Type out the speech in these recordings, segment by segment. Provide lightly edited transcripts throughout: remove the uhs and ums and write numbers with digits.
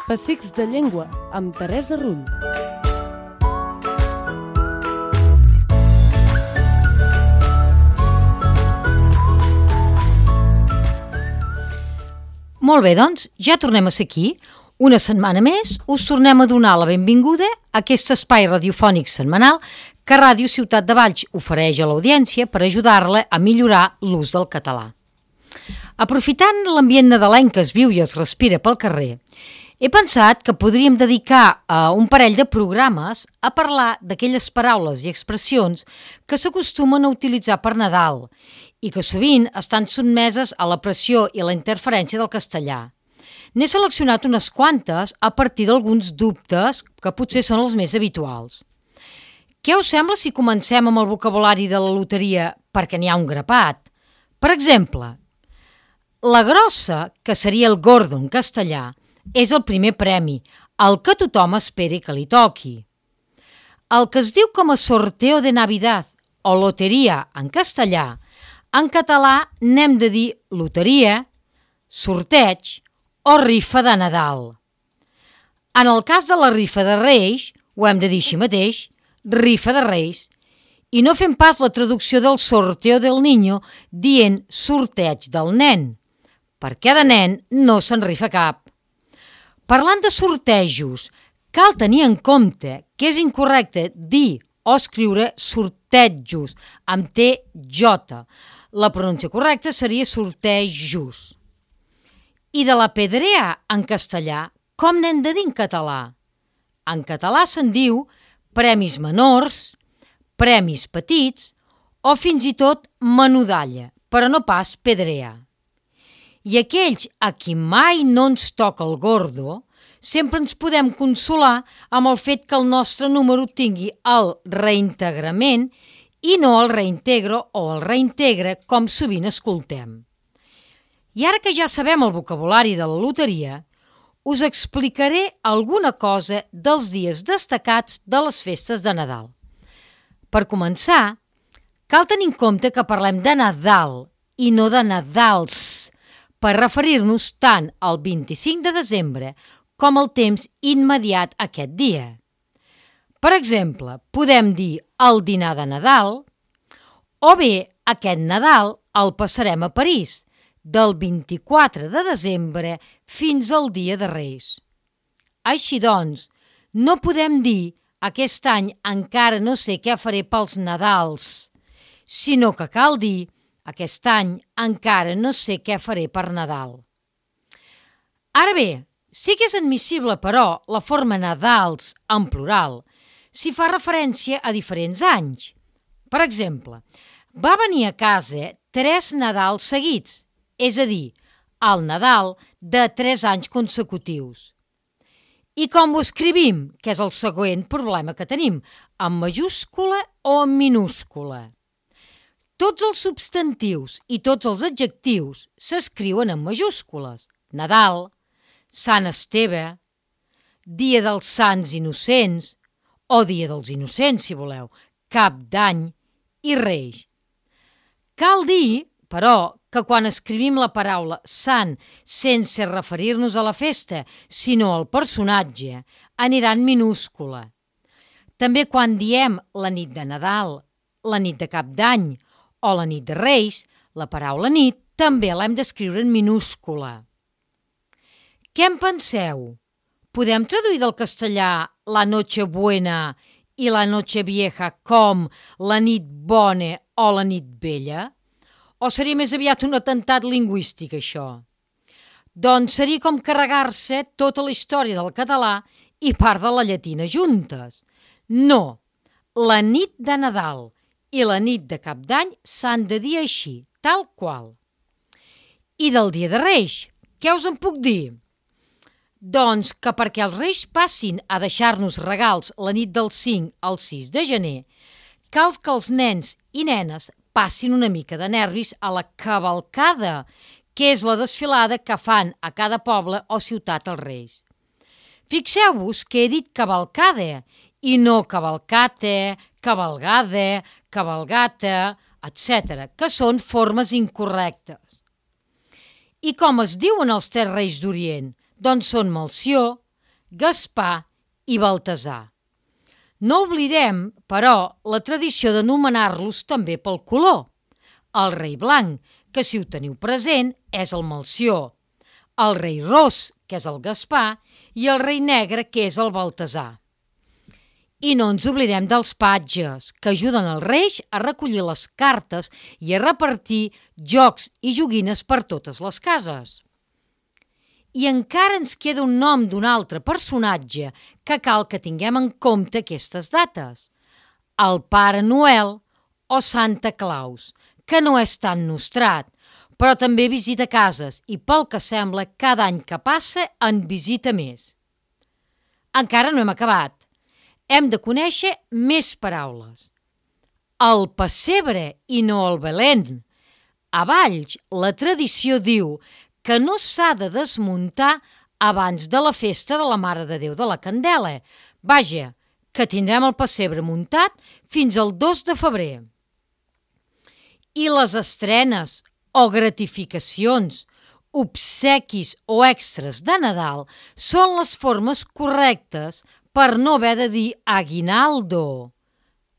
Pessics de llengua, amb Teresa Rull. Molt bé, doncs, ja tornem a ser aquí. Una setmana més us tornem a donar la benvinguda a aquest espai radiofònic setmanal que Ràdio Ciutat de Valls ofereix a l'audiència per ajudar-la a millorar l'ús del català. Aprofitant l'ambient nadalenc que es viu i es respira pel carrer, he pensat que podríem dedicar un parell de programes a parlar d'aquelles paraules i expressions que s'acostumen a utilitzar per Nadal i que sovint estan sotmeses a la pressió i la interferència del castellà. N'he seleccionat unes quantes a partir d'alguns dubtes que potser són els més habituals. Què us sembla si comencem amb el vocabulari de la loteria perquè n'hi ha un grapat? Per exemple, la grossa, que seria el gordo en castellà, és el primer premi, el que tothom espera que li toqui. El que es diu com a sorteo de Navidad o loteria en castellà, en català n'hem de dir loteria, sorteig o rifa de Nadal. En el cas de la rifa de Reis, ho hem de dir així mateix, rifa de Reis, i no fem pas la traducció del sorteo del niño dient sorteig del nen, perquè de nen no se'n rifa cap. Parlant de sortejos, cal tenir en compte que és incorrecte dir o escriure sortejos amb TJ. La pronúncia correcta seria sortejos. I de la pedrea en castellà, com n'hem de dir en català? En català se'n diu premis menors, premis petits o fins i tot menudalla, però no pas pedrea. I aquells a qui mai no ens toca el gordo, sempre ens podem consolar amb el fet que el nostre número tingui el reintegrament i no el reintegro o el reintegre com sovint escoltem. I ara que ja sabem el vocabulari de la loteria, us explicaré alguna cosa dels dies destacats de les festes de Nadal. Per començar, cal tenir en compte que parlem de Nadal i no de Nadals, per referir-nos tant al 25 de desembre com al temps immediat a aquest dia. Per exemple, podem dir el dinar de Nadal o bé aquest Nadal el passarem a París, del 24 de desembre fins al dia de Reis. Així doncs, no podem dir aquest any encara no sé què faré pels Nadals, sinó que cal dir aquest any encara no sé què faré per Nadal. Ara bé, sí que és admissible, però, la forma Nadals en plural si fa referència a diferents anys. Per exemple, va venir a casa 3 Nadals seguits, és a dir, el Nadal de 3 anys consecutius. I com ho escrivim, que és el següent problema que tenim, en majúscula o en minúscula? Tots els substantius i tots els adjectius s'escriuen en majúscules. Nadal, Sant Esteve, Dia dels Sants Innocents, o Dia dels Innocents, si voleu, Cap d'Any i Reis. Cal dir, però, que quan escrivim la paraula sant sense referir-nos a la festa, sinó al personatge, anirà en minúscula. També quan diem la nit de Nadal, la nit de Cap d'Any o la nit de Reis, la paraula nit també l'hem d'escriure en minúscula. Què en penseu? Podem traduir del castellà la noche buena i la noche vieja com la nit bona o la nit vella? O seria més aviat un atemptat lingüístic, això? Doncs seria com carregar-se tota la història del català i part de la llatina juntes. No, la nit de Nadal i la nit de Cap d'Any s'han de dir així, tal qual. I del dia de Reis, què us en puc dir? Doncs que perquè els Reis passin a deixar-nos regals la nit del 5 al 6 de gener, cal que els nens i nenes passin una mica de nervis a la cavalcada, que és la desfilada que fan a cada poble o ciutat els Reis. Fixeu-vos que he dit cavalcada i no cavalcate, cavalgada, cavalgata, etc., que són formes incorrectes. I com es diuen els 3 Reis d'Orient? Doncs són Melcior, Gaspar i Baltasar. No oblidem, però, la tradició d'anomenar-los també pel color. El rei blanc, que si ho teniu present, és el Melcior. El rei ros, que és el Gaspar, i el rei negre, que és el Baltasar. I no ens oblidem dels patges, que ajuden els reis a recollir les cartes i a repartir jocs i joguines per totes les cases. I encara ens queda un nom d'un altre personatge que cal que tinguem en compte aquestes dates. El Pare Noel o Santa Claus, que no és tan nostrat, però també visita cases i, pel que sembla, cada any que passa en visita més. Encara no hem acabat. Hem de conèixer més paraules. El pessebre i no el Belén. A Valls, la tradició diu que no s'ha de desmuntar abans de la festa de la Mare de Déu de la Candela. Vaja, que tindrem el pessebre muntat fins al 2 de febrer. I les estrenes o gratificacions, obsequis o extras de Nadal són les formes correctes per no haver de dir aguinaldo.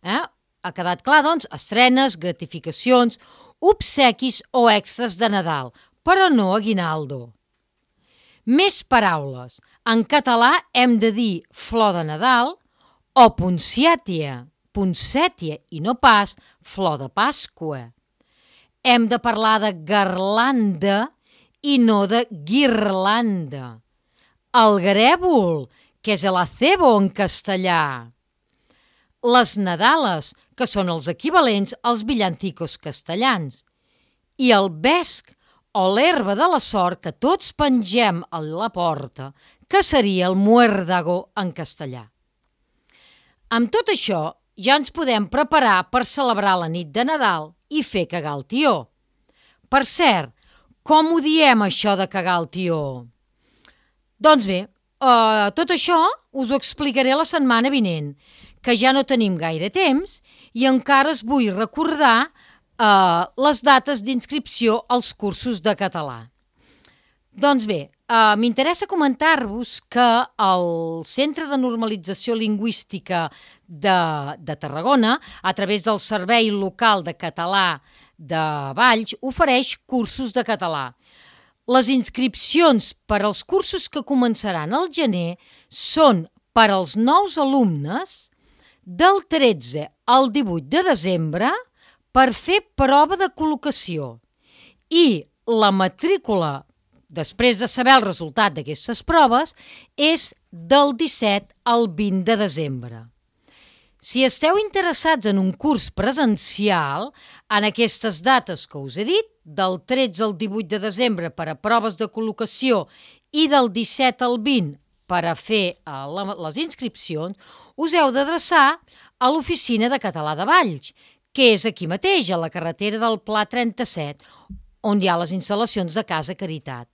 Ha quedat clar, doncs, estrenes, gratificacions, obsequis o extras de Nadal, però no aguinaldo. Més paraules. En català hem de dir flor de Nadal o poncètia i no pas flor de Pasqua. Hem de parlar de garlanda i no de guirlanda. El grèvol, que és el acebo en castellà. Les nadales, que són els equivalents als villancicos castellans. I el vesc, o l'herba de la sort que tots pengem a la porta, que seria el muérdago en castellà. Amb tot això, ja ens podem preparar per celebrar la nit de Nadal i fer cagar el tió. Per cert, com ho diem això de cagar el tió? Doncs bé, tot això us ho explicaré la setmana vinent, que ja no tenim gaire temps i encara us vull recordar les dates d'inscripció als cursos de català. Doncs bé, m'interessa comentar-vos que el Centre de Normalització Lingüística de Tarragona, a través del Servei Local de Català de Valls, ofereix cursos de català. Les inscripcions per als cursos que començaran al gener són per als nous alumnes del 13 al 18 de desembre per fer prova de col·locació i la matrícula, després de saber el resultat d'aquestes proves, és del 17 al 20 de desembre. Si esteu interessats en un curs presencial, en aquestes dates que us he dit, del 13 al 18 de desembre per a proves de col·locació i del 17 al 20 per a fer les inscripcions, us heu d'adreçar a l'Oficina de Català de Valls, que és aquí mateix, a la carretera del Pla 37, on hi ha les instal·lacions de Casa Caritat.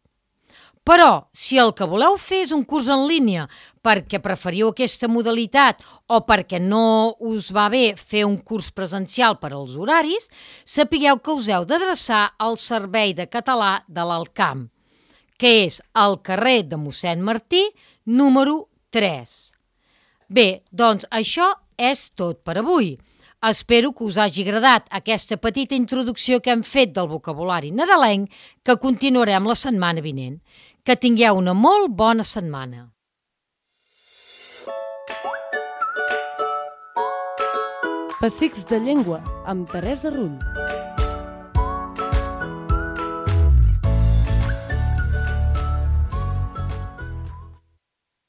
Però, si el que voleu fer és un curs en línia perquè preferiu aquesta modalitat o perquè no us va bé fer un curs presencial per als horaris, sapigueu que us heu d'adreçar al Servei de Català de l'Alcamp, que és al carrer de Mossèn Martí, número 3. Bé, doncs això és tot per avui. Espero que us hagi agradat aquesta petita introducció que hem fet del vocabulari nadalenc, que continuarem la setmana vinent. Que tingueu una molt bona setmana. Pessics de llengua, amb Teresa Rull.